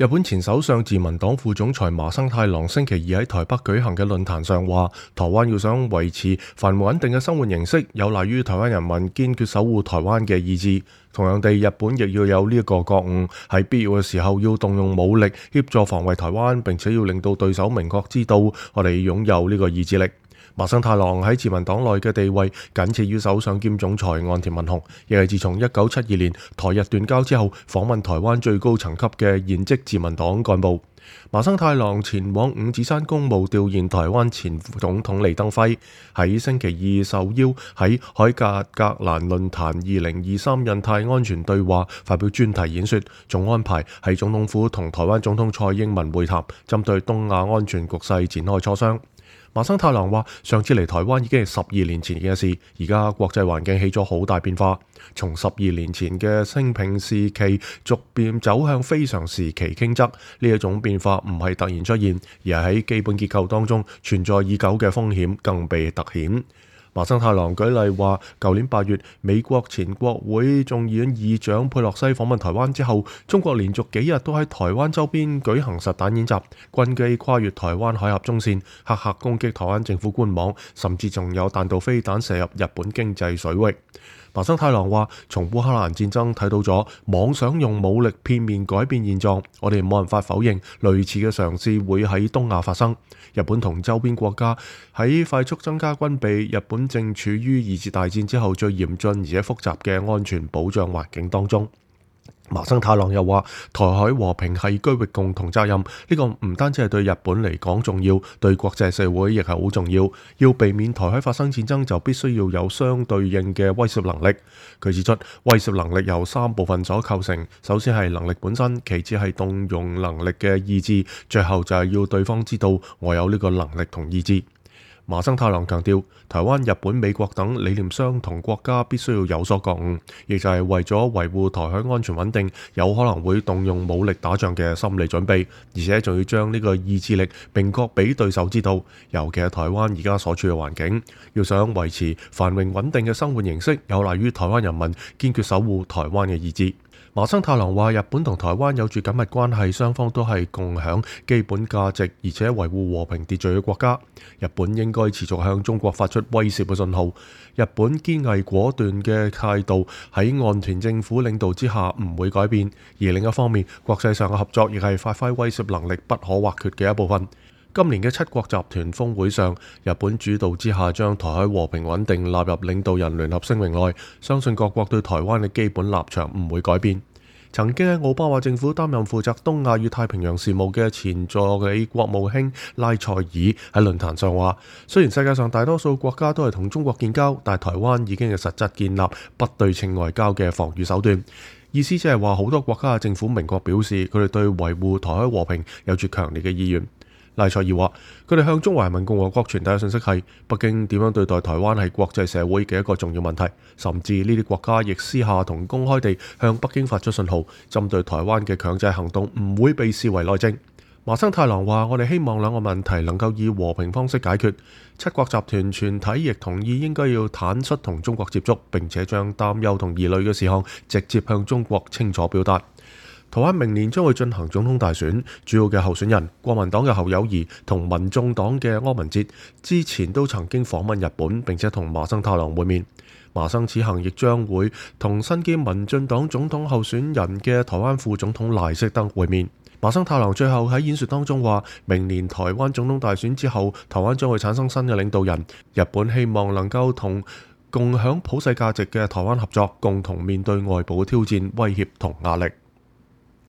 日本前首相自民黨副總裁麻生太郎星期二喺台北舉行嘅論壇上話，台灣要想維持繁榮穩定嘅生活形式，有賴於台灣人民堅決守護台灣嘅意志。同樣地，日本亦要有呢一個覺悟，喺必要嘅時候要動用武力協助防衛台灣，並且要令到對手明確知道我哋擁有呢個意志力。麻生太郎喺自民黨內嘅地位僅次於首相兼總裁岸田文雄，亦係自從1972年台日斷交之後訪問台灣最高層級嘅現職自民黨幹部。麻生太郎前往五指山公務弔唁台灣前副總統李登輝，喺星期二受邀喺海格蘭論壇2023印太安全對話發表專題演說，仲安排喺總統府同台灣總統蔡英文會談，針對東亞安全局勢展開磋商。麻生太郎話：上次嚟台灣已經係12年前嘅事，而家國際環境起咗好大變化，從12年前嘅清平時期逐漸走向非常時期傾側，呢一種變化唔係突然出現，而係喺基本結構當中存在已久嘅風險更被凸顯。麻生太郎舉例話，舊年8月，美國前國會眾議院議長佩洛西訪問台灣之後，中國連續幾日都喺台灣周邊舉行實彈演習，軍機跨越台灣海峽中線，黑客攻擊台灣政府官網，甚至仲有彈道飛彈射入日本經濟水域。麻生太郎話：從烏克蘭戰爭睇到咗妄想用武力片面改變現狀，我哋冇辦法否認類似嘅嘗試會喺東亞發生。日本同周邊國家喺快速增加軍備，日本正處於二次大戰之後最嚴峻而且複雜嘅安全保障環境當中。麻生太郎又話：台海和平係區域共同責任，呢個唔單止係對日本嚟講重要，對國際社會亦係好重要。要避免台海發生戰爭，就必須要有相對應嘅威懾能力。佢指出，威懾能力由3部分所構成，首先係能力本身，其次係動用能力嘅意志，最後就係要對方知道我有呢個能力同意志。麻生太郎強調，台灣、日本、美國等理念相同國家必須要有所覺悟，亦就係為咗維護台海安全穩定，有可能會動用武力打仗嘅心理準備，而且仲要將呢個意志力明確俾對手知道。尤其係台灣而家所處嘅環境，要想維持繁榮穩定嘅生活形式，有賴於台灣人民堅決守護台灣嘅意志。麻生太郎話：日本同台灣有住緊密關係，雙方都係共享基本價值，而且維護和平秩序嘅國家。日本應該持續向中國發出威懾嘅信號。日本堅毅果斷嘅態度喺岸田政府領導之下唔會改變。而另一方面，國際上嘅合作亦係發揮威懾能力不可或缺嘅一部分。今年嘅7國集團峰會上，日本主導之下將台海和平穩定納入領導人聯合聲明內，相信各國對台灣嘅基本立場唔會改變。曾經喺奧巴馬政府擔任負責東亞與太平洋事務嘅前助理國務卿拉塞爾喺論壇上話：雖然世界上大多數國家都係同中國建交，但台灣已經係實質建立不對稱外交嘅防禦手段。意思即係話，好多國家嘅政府明確表示，佢哋對維護台海和平有住強烈嘅意願。拉塞爾話：佢哋向中華人民共和國傳遞嘅信息係，北京點樣對待台灣係國際社會嘅一個重要問題，甚至呢啲國家亦私下同公開地向北京發出信號，針對台灣嘅強制行動唔會被視為內政。麻生太郎話：我哋希望兩個問題能夠以和平方式解決。7國集團全體亦同意應該要坦率同中國接觸，並且將擔憂同疑慮嘅事項直接向中國清楚表達。台灣明年將會進行總統大選，主要嘅候選人國民黨嘅侯友宜同民眾黨嘅柯文哲之前都曾經訪問日本，並且同麻生太郎會面。麻生此行亦將會同身兼民進黨總統候選人嘅台灣副總統賴適德會面。麻生太郎最後喺演說當中話：明年台灣總統大選之後，台灣將會產生新嘅領導人，日本希望能夠同共享普世價值嘅台灣合作，共同面對外部嘅挑戰、威脅同壓力。